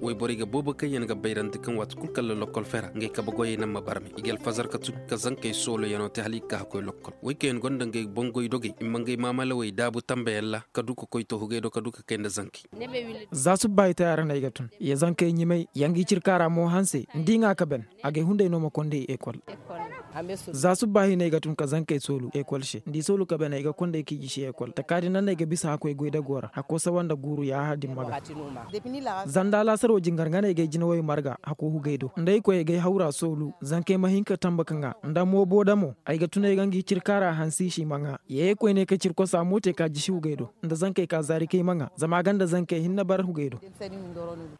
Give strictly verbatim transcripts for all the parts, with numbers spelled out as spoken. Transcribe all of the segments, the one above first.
Woyborey ga boobo kaŋyaŋ ga bayrandi kaŋ waati kul kala lokkol fera ngey kabe goyey naŋ ma barme i ga alfazar ka tun ka zankey sooloyaŋo te hala i ga ka hakkoy lokkol woy kaŋyaŋ gonda ngey boŋ goy dogey i ma ngey maamalawey daabu tambayaŋ ra ka du ka koy to hugey do ka du ka kay nda zankey. Za subba i taya ra no ay ga tun ya zankey ɲimay ya ngi cirkaa ra mo hanse nda i ŋaa ka ben. Agay hunday no ma konday ekol. Za subba hinay ga tun ka zankey soolu ekol se nda i soolu ka ben ay ga konday k'i gisi ekol takaadi nanday ga bisa hakkoy goydago ra hakko sawa nda guuru yaaha din ma ga. Zanda laasaro jingar nga no ay gay jinawey marga hakko hugay do nda ay koy ay gay hawra soolu zankey ma hin ka tamba ka ŋaa nda moobo damo. Ay ga tun ay ga ngi cirkaa ra hansi si ma ŋaa. Yee koyney ka cirkosa mo te ka jisi hugay do nda zankey ka zaari kay ma ŋaa zama a ganda zankey hinne bar hugay do.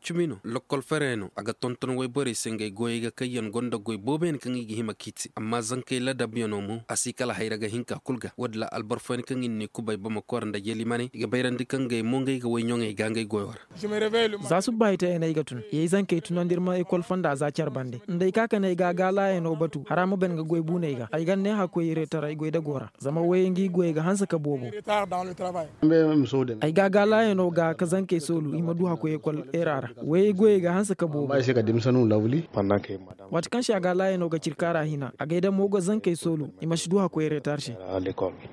Cimi no lokkol ferey no a ga tonton woyborey se ngey goyey ga kaŋ yaŋ gonda goy booboyaŋ kaŋ i ga hima k'i te amma zankey ladabyaŋo mo a si kala hayra ga hin ka kul ga woodin ra alboro fooyaŋ kaŋ i na ni kubay bamako ra nda yelimaney i ga bayrandi kaŋ ngey mo ngey ga woy ɲoŋey ga ngey goyo ra. Za subba ay te ay na ay ga tun yey zankey tunandi ir ma ekol fonda za care bande nda ay ka ka ne ay ga a gaalaayaŋo batu hara ma ben ga goy buuney ga ay ga ne hakkoy reetaray goydago ra. Zama woyey ngi goyey ga hanse ka boobo. Ay ga a gaalaayaŋo ga ka zankey soolu i ma du hakkoy ekol era ra. Woyey goyey ga hanse ka boobo. Waati kaŋ se a gaalaayaŋo ga cirkaa ra hina a gay da mo ga zankey soolu i ma si du hakkoy reetar se.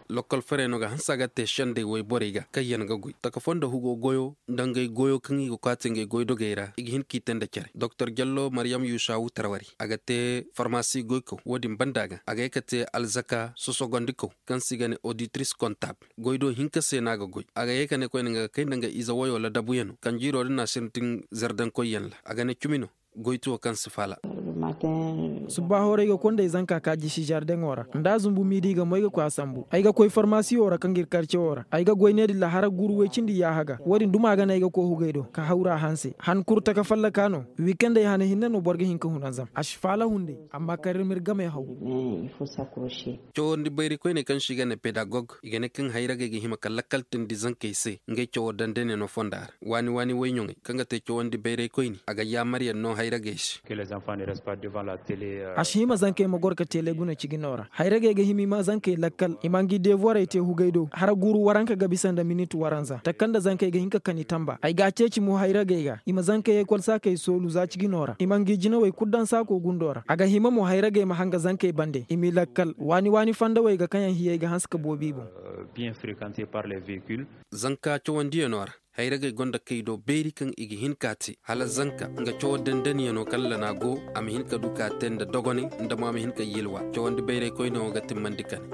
Lokkol ferey no ga hanse a ga te sendey woyborey ga kaŋ yaŋ ga goy taka fondo hugo goyo nda ngey goyo kaŋ i ga kwaati ngey goydogey ra i ga hin k'i te nda care doktor jallo maryam yusawu tarwari a ga te farmasi goykaw woodin banda ga a ga ye ka te alzaka sosogondikaw kaŋ se i ga ne oditris kontab. Goy do hinka se no a ga goy a ga ye ka ne koyne nga ga kay nda nga ize woyo ladabuyaŋo kaŋ jiiro din na sintin zardankoyyaŋ ra a ga ne cumi no. Goytuwo kaŋ si faala. Subba hooray ga konday zanka ka jisi zardeŋo ra nda a zumbu miidi ga mo ay ga koy a sambu ay ga koy farmasiyo ra kaŋ ga ir karcewo ra ay ga goy ne din ra hara guuru woy cindi yaaha ga. Woodin duma ga no ay ga koy hugay do ka hawra hanse han kuru taka fallaka no. Wikendey hane hinne no boro ga hin ka hunanzam a si faala hunday. Amma kar ir ma ir gamey haw. Cawandi bayraykoyney kaŋ se i ga ne pedagog i ga ne kaŋ hayragey ga hima ka lakkal teendi zankey se ngey cawo dandanyaŋo fonda ra. Waani waani woyɲoŋey kaŋ ga te cawandi bayraykoyni a ga yaamaryaŋ no hayragey se. A si hima zankey ma goro ka tele guna cigino ra hayragey ga hima i ma zankey lakkal i ma ngi deevorey te hugay do hara guuru waranka ga bisa nda minit waranza taka nda zankey ga hin ka kani tamba ay ga a ceeci mo hayragey ga i ma zankey ekol saakey soolu za cigino ra i ma ngi jinawey kul daŋ saako gundo ra a ga hima mo hayragey ma hanga zankey bande i m'i lakkal waani waani fandawey ga kaŋyaŋ hiyey ga hanse ka boobo i boŋ. Zanka cawandiyaŋo ra hayragey gonda kay do beeri kaŋ i ga hin k'a te hala zanka nga cawo dandanyaŋo kaŋ lanaa go a ma hin ka du k'a te nda dogonay nda mo a ma hin ka yilwa cawandi bayraykoynaŋo ga timmandi kane.